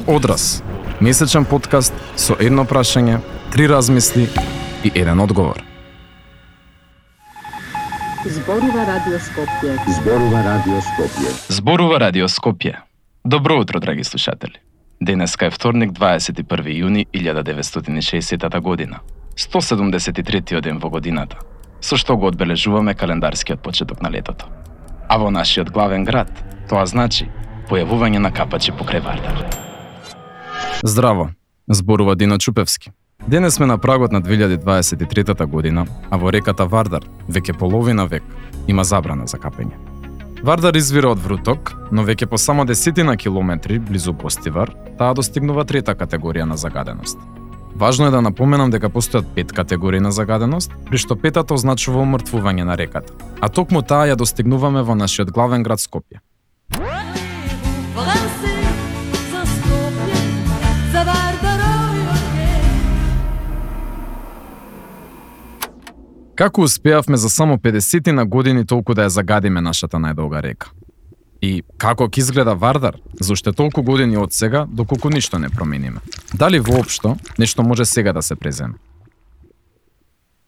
Одраз, месечен подкаст со едно прашање, 3 размисли и еден одговор. Зборува Радио Скопје. Зборува Радио Скопје. Зборува Радио Скопје. Добро утро, драги слушатели. Денеска е вторник, 21 јуни 1960 година. 173 ден во годината, со што го одбележуваме календарскиот почеток на летото. А во нашиот главен град, тоа значи појавување на капачи покрај Вардар. Здраво, зборува Дино Чупевски. Денес сме на прагот на 2023 година, а во реката Вардар, веќе половина век, има забрана за капење. Вардар извира од вруток, но веќе по само 10 километри близу Гостивар, таа достигнува трета категорија на загаденост. Важно е да напоменам дека постојат 5 категории на загаденост, при што петата означува умртвување на реката, а токму таа ја достигнуваме во нашиот главен град Скопје. Како успеавме за само 50 на години толку да ја загадиме нашата најдолга река? И како ќе изгледа Вардар за уште толку години од сега, доколку ништо не промениме? Дали воопшто нешто може сега да се преземе?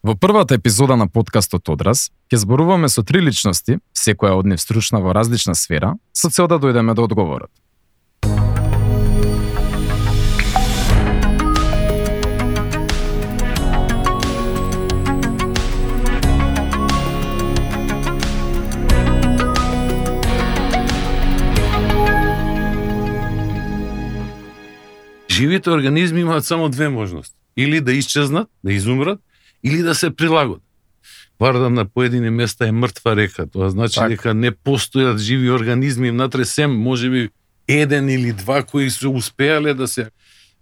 Во првата епизода на подкастот Одраз ќе зборуваме со 3 личности, секоја од нив стручна во различна сфера, со цел да дојдеме до одговорот. Живите организми имаат само две можности. Или да исчезнат, да изумрат, или да се прилагодат. Вардар на поедини места е мртва река. Тоа значи дека не постојат живи организми внатре, сем можеби еден или два кои се успеале да се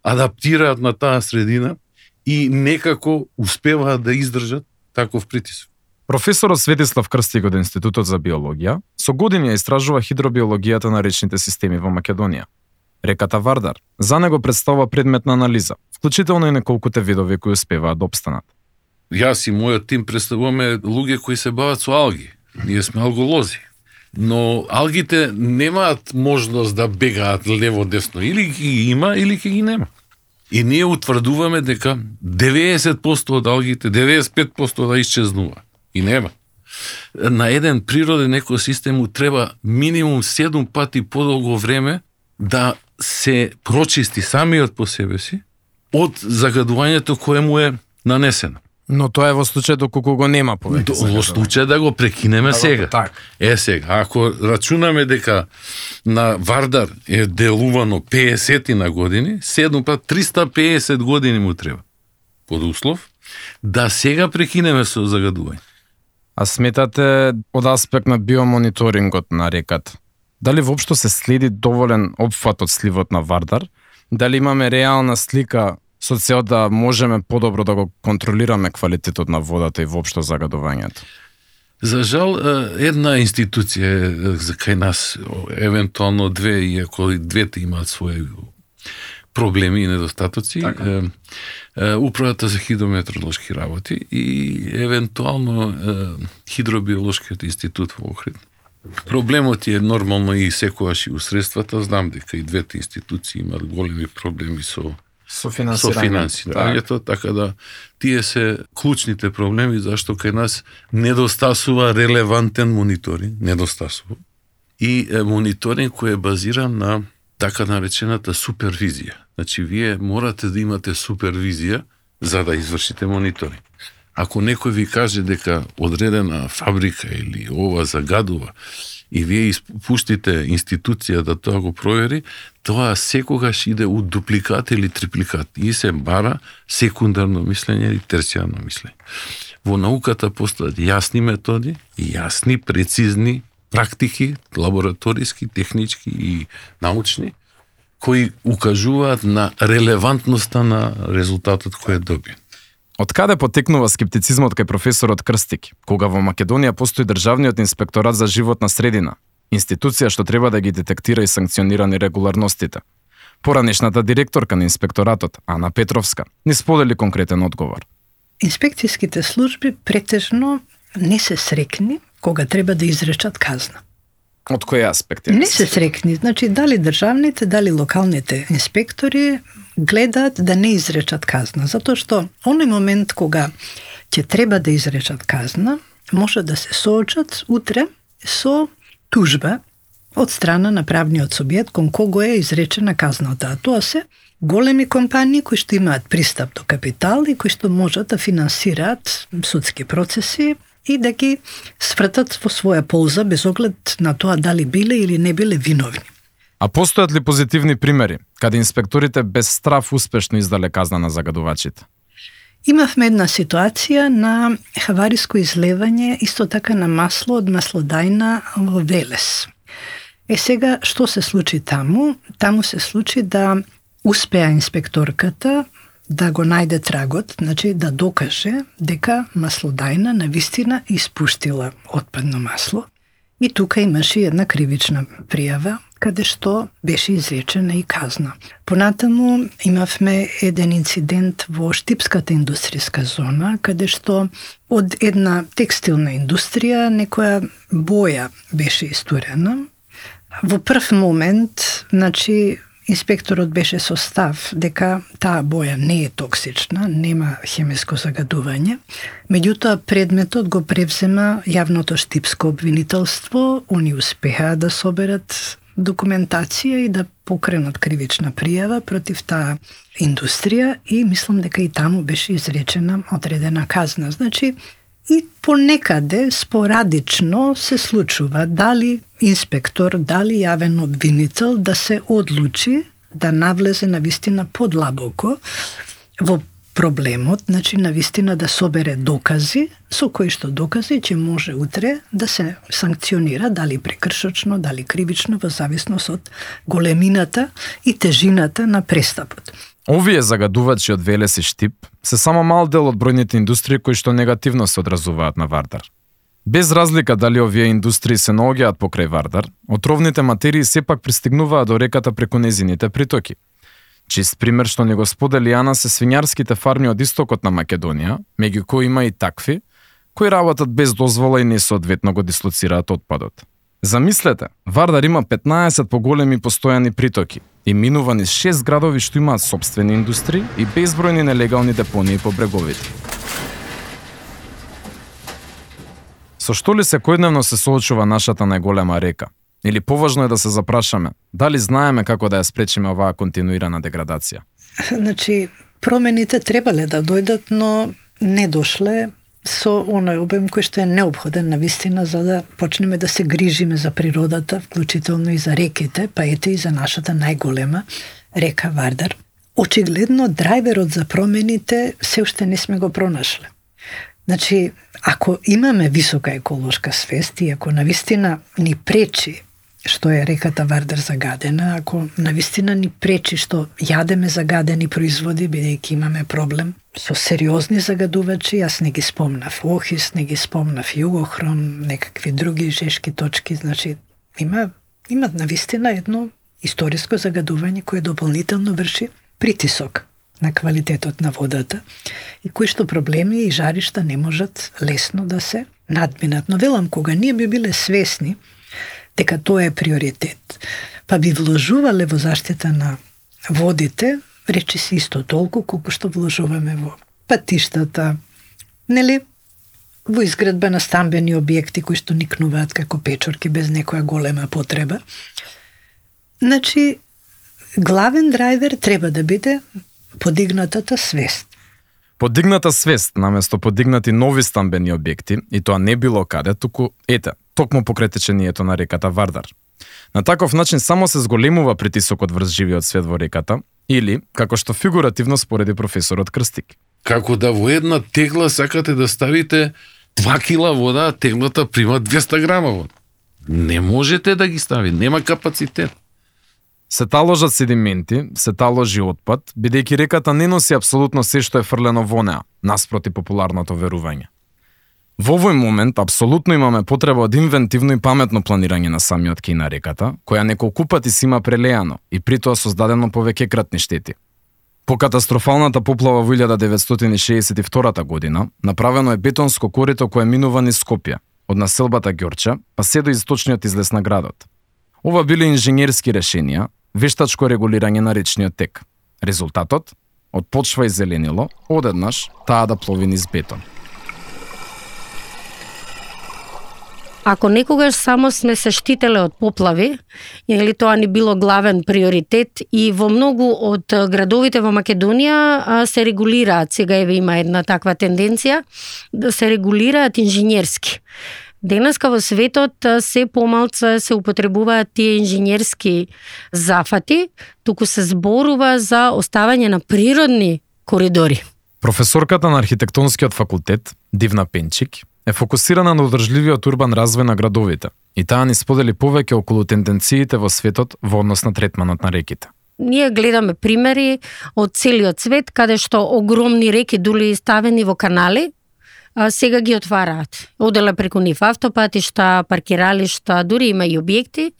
адаптираат на таа средина и некако успеваат да издржат таков притисок. Професорот Светислав Крстик од Институтот за биологија со години истражува хидробиологијата на речните системи во Македонија. Реката Вардар за него представува предмет на анализа, вклучително и неколкуте видови кои успеваат да опстанат. Јас и мојот тим представуваме луѓе кои се бават со алги. Ние сме алголози. Но алгите немаат можност да бегаат лево-десно. Или ги има, или ги нема. И ние утврдуваме дека 90% од алгите, 95% да исчезнува. И нема. На еден природен екосистем му треба минимум 7 пати подолго време да се прочисти самиот по себе си од загадувањето кое му е нанесено. Но тоа е во случај доколку го нема повеќе. Во случај да го прекинеме сега. Так. Сега, ако рачунаме дека на Вардар е делувано 50 на години, 7 пат 350 години му треба. Под услов да сега прекинеме со загадување. А сметате од аспект на биомониторингот на реката, дали воопшто се следи доволен опфат од сливот на Вардар? Дали имаме реална слика со цел да можеме подобро да го контролираме квалитетот на водата и воопшто загадувањето? За жал, една институција за кај нас, евентуално две, иако и двете имаат своји проблеми и недостатоци, Управата за хидрометеоролошки работи и евентуално Хидробиолошкиот институт во Охрид. Проблемот е нормално и секогаш и у средствата. Знам дека и двете институции имаат големи проблеми со финансирањето, така да тие се клучните проблеми зашто кај нас недостасува релевантен мониторинг, и мониторинг кој е базиран на така наречената супервизија. Значи, вие морате да имате супервизија за да извршите мониторинг. Ако некој ви каже дека одредена фабрика или ова загадува и вие испуштите институција да тоа го провери, тоа секогаш иде у дупликат или трипликат и се бара секундарно мислење или терцијарно мислење. Во науката постојат јасни методи, јасни, прецизни практики, лабораториски, технички и научни, кои укажуваат на релевантноста на резултатот кој е добиен. Од каде потекнува скептицизмот кај професорот Крстик, кога во Македонија постои Државниот инспекторат за животна средина, институција што треба да ги детектира и санкционира нерегуларностите? Поранешната директорка на инспекторатот, Ана Петровска, ни сподели конкретен одговор. Инспекцијските служби претежно не се срекни кога треба да изречат казна. Од кој аспект? Не се срекни. Значи, дали државните, дали локалните инспектори гледаат да не изречат казна. Затоа што оној момент кога ќе треба да изречат казна, може да се соочат утре со тужба од страна на правниот субјект кон кого е изречена казната. А тоа се големи компании кои што имаат пристап до капитал и кои што можат да финансираат судски процеси и да ги свртат во своја полза без оглед на тоа дали биле или не биле виновни. А постојат ли позитивни примери каде инспекторите без страф успешно издале казна на загадувачите? Имавме една ситуација на хавариско излевање исто така на масло од маслодајна во Велес. Сега, што се случи таму? Таму се случи да успеа инспекторката да го најде трагот, значи да докаже дека маслодајна навистина испуштила отпадно масло. И тука имаше една кривична пријава, каде што беше изречена и казна. Понатаму имавме еден инцидент во Штипската индустријска зона, каде што од една текстилна индустрија некоја боја беше истурена. Во прв момент, значи, инспекторот беше со став дека таа боја не е токсична, нема хемиско загадување. Меѓутоа, предметот го превзема јавното штипско обвинителство, они успеа да соберат документација и да покренат кривична пријава против таа индустрија и мислам дека и таму беше изречена одредена казна. Значи, и понекаде спорадично се случува дали инспектор, дали јавен обвинител да се одлучи да навлезе навистина подлабоко во проблемот, значи навистина да собере докази, со кои што докази ќе може утре да се санкционира дали прекршочно, дали кривично во зависност од големината и тежината на престапот. Овие загадувачи од Велес и Штип се само мал дел од бројните индустрии кои што негативно се одразуваат на Вардар. Без разлика дали овие индустрии се наоѓаат покрај Вардар, отровните материи сепак пристигнуваат до реката преку незините притоки. Чист пример што не го сподели Јана се свињарските фарми од истокот на Македонија, меѓу кои има и такви, кои работат без дозвола и несоодветно го дислоцираат отпадот. Замислете, Вардар има 15 поголеми постојани притоки и минува низ 6 градови што имаат сопствени индустрии и безбројни нелегални депонии по бреговите. Со што ли секојдневно се соочува нашата најголема река? Или поважно е да се запрашаме, дали знаеме како да ја спречиме оваа континуирана деградација? Значи, промените требале да дојдат, но не дошле со оној обем кој што е неопходен навистина за да почнеме да се грижиме за природата, вклучително и за реките, па ете и за нашата најголема река Вардар. Очигледно, драйверот за промените се уште не сме го пронашле. Значи, ако имаме висока еколошка свест и ако навистина ни пречи што е реката Вардар загадена, ако навистина ни пречи што јадеме загадени производи, бидејќи имаме проблем со сериозни загадувачи, јас не ги спомнав Охис, не ги спомнав Југохром, некакви други жешки точки, значи има навистина едно историско загадување кое дополнително врши притисок на квалитетот на водата и кои што проблеми и жаришта не можат лесно да се надминат. Но велам, кога ние би биле свесни дека тоа е приоритет, па би вложувале во заштита на водите, речи се исто толку колку што вложуваме во патиштата, нели, во изградба на стамбени објекти кои што никнуваат како печорки без некоја голема потреба. Значи, главен драйвер треба да биде подигнатата свест. Подигната свест наместо подигнати нови стамбени објекти, и тоа не било каде, туку токму покрај течението на реката Вардар. На таков начин само се зголемува притисокот врз живиот свет во реката, или, како што фигуративно спореди професорот Крстик. Како да во една тегла сакате да ставите 2 кила вода, а теглата прима 200 грама вода. Не можете да ги стави, нема капацитет. Се таложат седименти, се таложи отпад, бидејќи реката не носи апсолутно се што е фрлено во неа, наспроти популарното верување. Во овој момент апсолутно имаме потреба од инвентивно и паметно планирање на самиот кеј на реката, која неколку пати си има прелеано и притоа создадено повеќекратни штети. По катастрофалната поплава во 1962 година, направено е бетонско корито кое минува низ Скопје од населбата Ѓорча, па се до источниот излез на градот. Ова биле инженерски решенија, вештачко регулирање на речниот тек. Резултатот? Од почва и зеленило, одеднаш таа да плови низ бетон. Ако некогаш само сме се штителе од поплави, или тоа ни било главен приоритет и во многу од градовите во Македонија се регулираат, сега еве има една таква тенденција, да се регулираат инженерски. Денеска во светот се помалку се употребуваат тие инженерски зафати, туку се зборува за оставање на природни коридори. Професорката на архитектонскиот факултет, Дивна Пенчик, е фокусирана на одржливиот урбан развој на градовите и таа ни сподели повеќе околу тенденциите во светот во однос на третманот на реките. Ние гледаме примери од целиот свет, каде што огромни реки дули ставени во канали, сега ги отвараат. Оделе преку нив автопатишта, паркиралишта, дури има и објекти.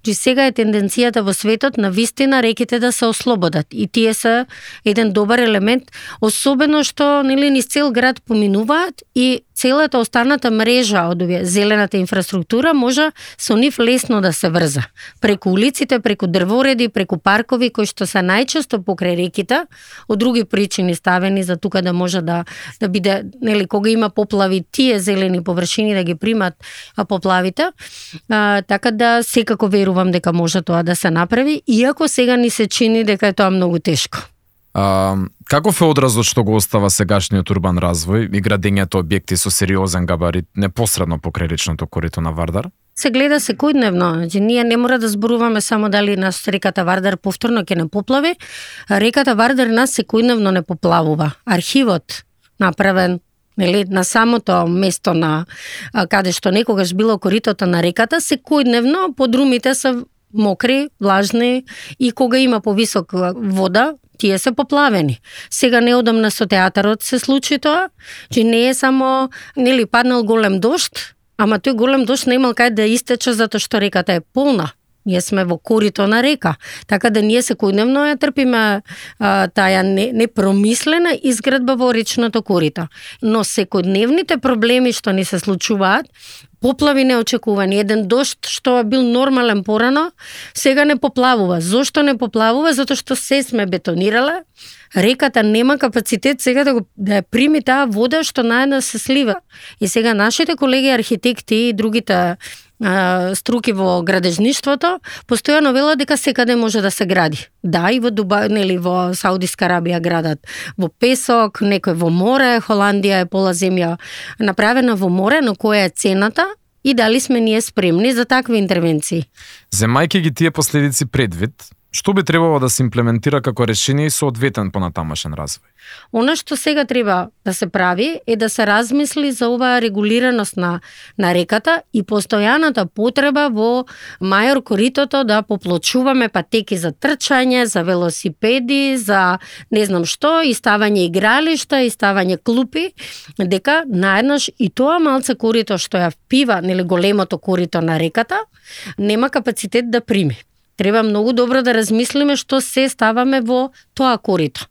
Сега е тенденцијата во светот на вистина реките да се ослободат. И тие се еден добар елемент, особено што низ цел град поминуваат и целата останата мрежа од овие зелената инфраструктура може со нив лесно да се врза. Преку улиците, преку дрвореди, преку паркови кои што се најчесто покрај реките, од други причини ставени за тука да може да биде, кога има поплави, тие зелени површини да ги примат поплавите. Така да секако верувам дека може тоа да се направи, иако сега ни се чини дека е тоа многу тешко. Каков е одразот што го остава сегашниот урбан развој и градењето објекти со сериозен габарит непосредно покрај речното корито на Вардар? Се гледа секојдневно. Ние не мора да зборуваме само дали нас реката Вардар повторно ќе не поплави. Реката Вардар нас секојдневно не поплавува. Архивот направен на самото место на каде што некогаш било коритото на реката, секојдневно подрумите се мокри, влажни и кога има повисок вода, тие се поплавени. Сега неодамна со театарот се случи тоа, че не е само паднал голем дожд, ама тој голем дожд не имал кај да истече затоа што реката е полна. Ние сме во корито на река, така да ние секојдневно ја трпиме таа непромислена изградба во речното корито. Но секојдневните проблеми што ни се случуваат, поплави неочекувани, еден дожд што бил нормален порано, сега не поплавува. Зошто не поплавува? Затоа што се сме бетонирале, реката нема капацитет сега да ја прими таа вода што наедно се слива. И сега нашите колеги архитекти и другите струки во градежништвото постојано велат дека секаде може да се гради. Да, и во Дубај, во Саудиска Арабија градат во песок, некој во море, Холандија е пола земја направена во море, но која е цената и дали сме ние спремни за такви интервенции? Земајќи ги тие последици предвид, што би требало да се имплементира како решение и соодветен понатамошен развој? Она што сега треба да се прави е да се размисли за оваа регулираност на реката и постојаната потреба во мајор коритото да поплочуваме патеки за трчање, за велосипеди, за не знам што, и ставање игралишта, и ставање клупи, дека наеднаш и тоа малце корито што ја впива, големото корито на реката, нема капацитет да прими. Треба многу добро да размислиме што се ставаме во тоа корито.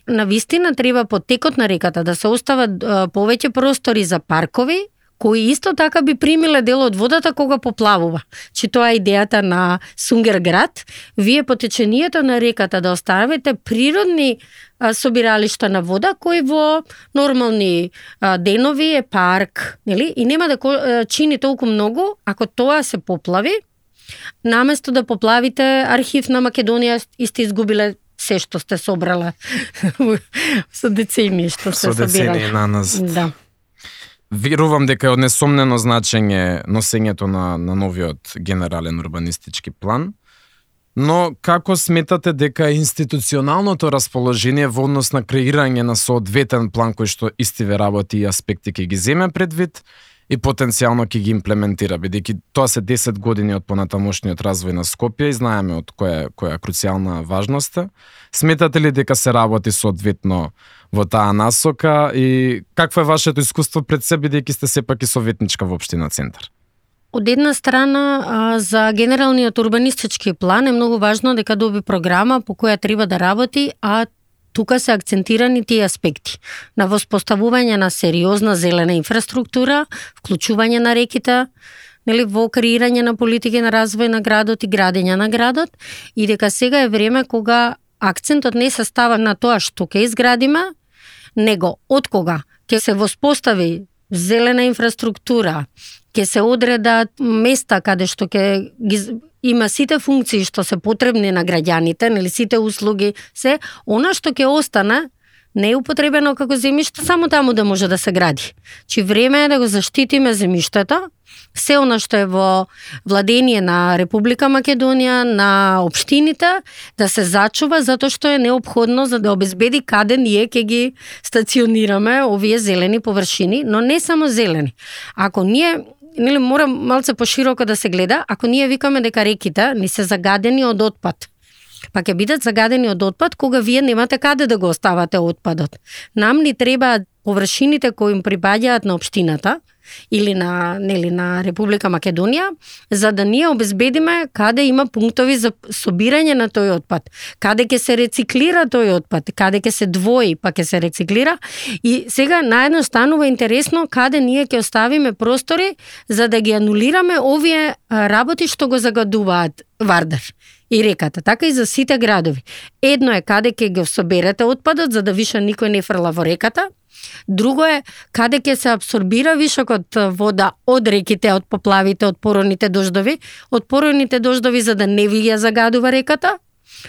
Навистина треба по текот на реката да се остават повеќе простори за паркови, кои исто така би примиле дел од водата кога поплавува. Че тоа е идејата на Сунгерград. Вие по течението на реката да оставите природни собиралишта на вода, кои во нормални денови е парк, и нема да чини толку многу ако тоа се поплави. Наместо да поплавите архив на Македонија и сте изгубиле се што сте собрала со децении што се собирале. Со децении наназад. Да. Верувам дека е од несомнено значење носењето на новиот генерален урбанистички план, но како сметате дека институционалното расположение во однос на креирање на соодветен план кој што истиве работи и аспекти ќе ги земе предвид и потенцијално ќе ги имплементира, бидејќи тоа се 10 години од понатамошниот развој на Скопје и знаеме од која круцијална важност е. Сметате ли дека се работи соодветно во таа насока и какво е вашето искуство пред себе, бидејќи сте сепак и советничка во општина Центар? Од една страна, за генералниот урбанистички план е многу важно дека доби програма по која треба да работи, а тука се акцентирани тие аспекти на воспоставување на сериозна зелена инфраструктура, вклучување на реките, нели, во креирање на политики на развој на градот и градење на градот, и дека сега е време кога акцентот не се става на тоа што ќе изградиме, него од кога ќе се воспостави зелена инфраструктура, ќе се одредат места каде што ќе има сите функции што се потребни на граѓаните, нели, сите услуги, се, она што ќе остане не е употребено како земјиште, само таму да може да се гради. Чи време е да го заштитиме земјиштето, се она што е во владение на Република Македонија, на општините, да се зачува затоа што е неопходно за да обезбеди каде ние ќе ги стационираме овие зелени површини, но не само зелени. Ако ние, нели, мора малце пошироко да се гледа, ако ние викаме дека реките ни се загадени од отпад, па ќе бидат загадени од отпад кога вие немате каде да го оставате отпадот. Нам ни треба површините кои им припаѓаат на општината или на Република Македонија, за да ние обезбедиме каде има пунктови за собирање на тој отпад, каде ќе се рециклира тој отпад, каде ќе се двои па ќе се рециклира. И сега наедно станува интересно каде ние ќе оставиме простори за да ги анулираме овие работи што го загадуваат Вардар и реката, така и за сите градови. Едно е каде ќе го соберете отпадот за да више никој не фрла во реката. Друго е каде ќе се абсорбира вишокот вода од реките, од поплавите, од поројните дождови, за да не ви ја загадува реката,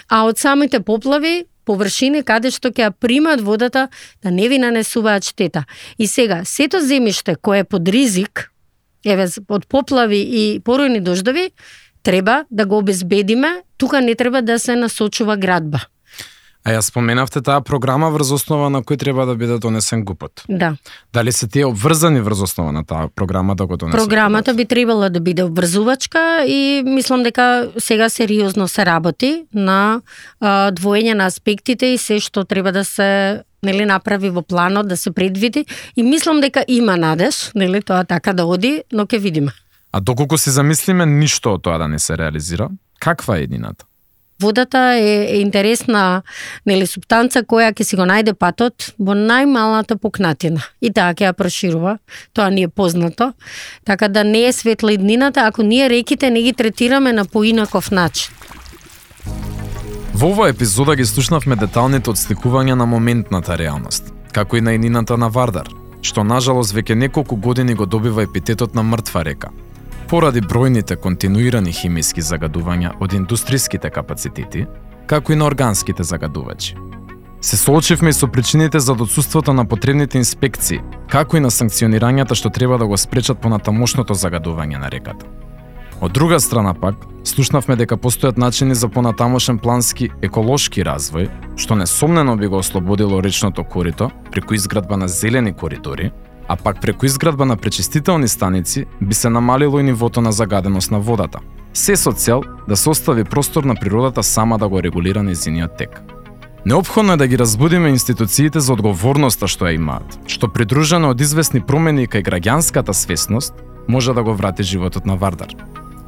а од самите поплави површини каде што ќе ја примат водата да не ви нанесуваат штета. И сега, сето земјиште кое е под ризик, од поплави и поројни дождови, треба да го обезбедиме, тука не треба да се насочува градба. А ја споменавте таа програма врз основа на кој треба да биде донесен ГУП-от. Да. Дали се тие обврзани врз основа на таа програма да го донесат? Програмата би требала да биде обврзувачка и мислам дека сега сериозно се работи на двоење на аспектите и се што треба да се, нели, направи во планот, да се предвиди, и мислам дека има надеж, нели, тоа така да оди, но ќе видиме. А доколку се замислиме ништо од тоа да не се реализира, каква е едината? Водата е интересна, нели, субстанца која ќе си го најде патот во најмалата пукнатина и таа ќе ја проширува. Тоа ни е познато. Така да не е светла иднината ако ние реките не ги третираме на поинаков начин. Во оваа епизода ги слушнавме деталните отсликувања на моментната реалност, како и на иднината на Вардар, што нажалост веќе неколку години го добива епитетот на мртва река, поради бројните континуирани химиски загадувања од индустриските капацитети, како и на органските загадувачи. Се соочивме и со причините за отсуството на потребните инспекции, како и на санкционирањата што треба да го спречат понатамошното загадување на реката. Од друга страна пак, слушнавме дека постојат начини за понатамошен плански еколошки развој, што несомнено би го ослободило речното корито преку изградба на зелени коридори, а пак преку изградба на пречистителни станици би се намалило и нивото на загаденост на водата. Се со цел да се остави простор на природата сама да го регулира нејзиниот тек. Неопходно е да ги разбудиме институциите за одговорноста што ја имаат, што придружено од известни промени кај граѓанската свесност може да го врати животот на Вардар.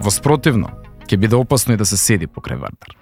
Во спротивно, ќе биде опасно и да се седи покрај Вардар.